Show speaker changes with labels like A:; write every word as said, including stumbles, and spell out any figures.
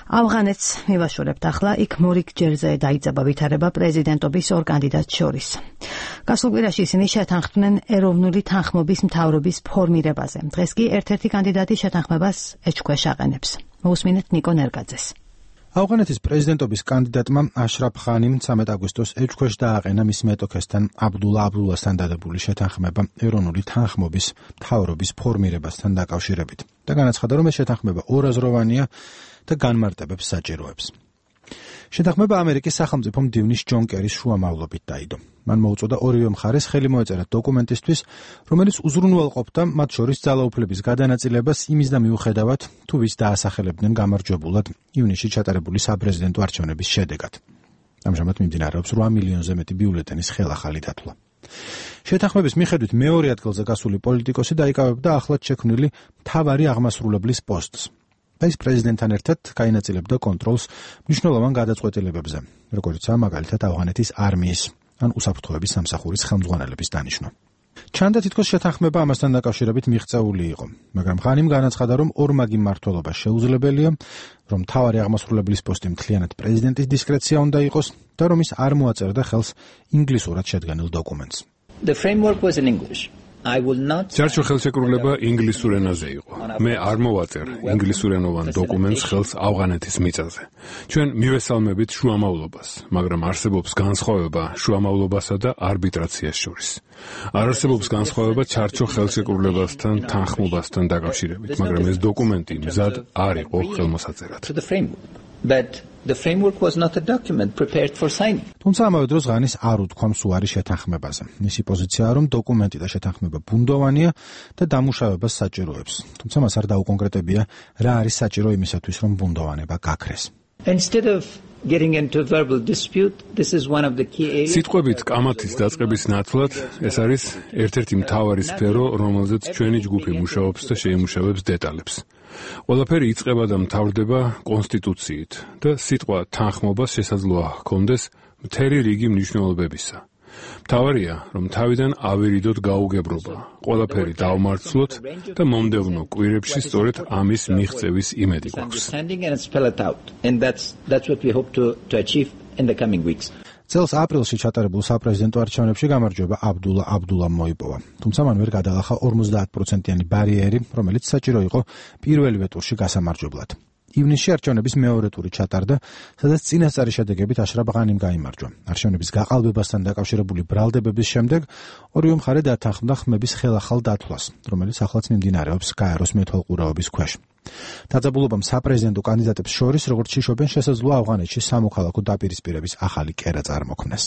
A: ავღანეთს მივაშორებთ ახლა, იქ მორიგ-ჯერზე დაიწყება ვითარება პრეზიდენტობის ორ კანდიდატს შორის. გასულ კვირაში ისინი შეთანხმდნენ ეროვნული თანხმობის მთავრობის ფორმირებაზე. დღეს კი ერთ-ერთი კანდიდატი შეთანხმებას ეჭქვეშ აყენებს. მოусმინეთ ნიკო ნერგაძეს.
B: ავღანეთის პრეზიდენტობის კანდიდატმა აშრაფ ღანიმ ცამეტ აგვისტოს ეჭქვეშ დააყენა მის მეტოქესთან აბდულა აბდულასთან დადებული შეთანხმება ეროვნული თანხმობის მთავრობის ფორმირებასთან დაკავშირებით და განაცხადა, რომ ეს შეთანხმება ორაზროვანია და განმარტებებს საჭიროებს. შეთანხმება ამერიკის სახელმწიფო მდივნის ჯონ კერის შუამავლობით დაიდო. მან მოუწოდა ორივე მხარეს ხელი მოეწერა დოკუმენტისთვის, რომელიც უზრუნველყოფდა მათ შორის ძალაუფლების გადანაწილებას იმის და მიუხედავად, თუ ვის დაასახელებდნენ გამარჯვებულად ივნისში ჩატარებული საპრეზიდენტო არჩევნების შედეგად. ამჟამად მიმდინარეობს რვა მილიონზე მეტი ბიულეტენის ხელახალი დათვლა. შეთანხმების მიხედვით მეორე ადგილზე გასული პოლიტიკოსი დაიკავებდა ახლად შექმნილი მთავარი აღმასრულებლის პოსტს. და ის პრეზიდენტთან ერთად გაინაწილებდა კონტროლს მნიშვნელოვან გადაწყვეტილებებზე, როგორიცაა მაგალითად ავღანეთის არმიის ან უსაფრთხოების სამსახურის ხელმძღვანელების დანიშვნა. ჩანდა თითქოს შეთანხმება ამასთან დაკავშირებით მიღწეული იყო, მაგრამ ღანიმ განაცხადა, რომ ორმაგი მმართველობა შეუძლებელია, რომ მთავარი აღმასრულებლის პოსტი მთლიანად პრეზიდენტის დისკრეცია უნდა იყოს და რომ ის არ მოაწერდა ხელს ინგლისურად შედგენილ დოკუმენტს.
C: The framework was in English.
D: Ჩარჩო ხელშეკრულება ინგლისურ ენაზე იყო. მე არ მოვაწერ ინგლისურენოვან დოკუმენტს ხელს ავღანეთის მიწაზე. ჩვენ მივესალმებით შუამავლობას, მაგრამ არსებობს განსხვავება შუამავლობასა და არბიტრაციას შორის. არ არსებობს განსხვავება ჩარჩო ხელშეკრულებასთან თანხმობასთან დაკავშირებით, მაგრამ ეს დოკუმენტი მზად არ იყო ხელმოსაწერად.
C: But the framework was not a document prepared for signing.
B: თუმცა ამავე დროს ღანის არ უთქვამს უარი შეთანხმებაზე. მისი პოზიციაა, რომ დოკუმენტი და შეთანხმება ბუნდოვანია და დამუშავებას საჭიროებს. თუმცა მას არ დაუკონკრეტებია, რა არის საჭირო იმისათვის, რომ ბუნდოვანება გაქრეს.
C: Instead of getting into a verbal dispute, this is one of the key areas.
D: სიტყვებით კამათის დაწყების ნაცვლად, ეს არის ერთ-ერთი მთავარი სფერო, რომელზეც ჩვენი ჯგუფი მუშაობს და შეიმუშავებს დეტალებს. ყველაფერი იწყება და მთავრდება კონსტიტუციით და სიტყვა თანხმობას შესაძლოა ჰქონდეს მთელი რიგი მნიშვნელობებისა. მთავარია, რომ თავიდან ავირიდოთ გაუგებრობა, ყველაფერი დავმარცვლოთ და მომდევნო კვირებში სწორედ ამის მიღწევის იმედი გვაქვს.
B: წელს აპრილში ჩატარებულ საპრეზიდენტო არჩევნებში გამარჯვება აბდულა აბდულამ მოიპოვა. თუმცა მან ვერ გადალახა ორმოცდაათ პროცენტიანი ბარიერი, რომელიც საჭირო იყო პირველივე ტურში გასამარჯვებლად. ივნისში არჩევნების მეორე ტური ჩატარდა, სადაც წინასწარი შედეგებით აშრაფ ღანიმ გაიმარჯვა. არჩევნების გაყალბებასთან დაკავშირებული ბრალდებების შემდეგ ორივე მხარე დათანხმდა ხმების ხელახალ დათვლას, რომელიც ახლაც მიმდინარეობს გაეროს მეთვალყურეობის ქვეშ. დაძაბულობამ საპრეზიდენტო კანდიდატებს შორის, როგორც შიშობენ, შესაძლოა ავღანეთში სამოქალაქო დაპირისპირების ახალი კერა წარმოქმნეს.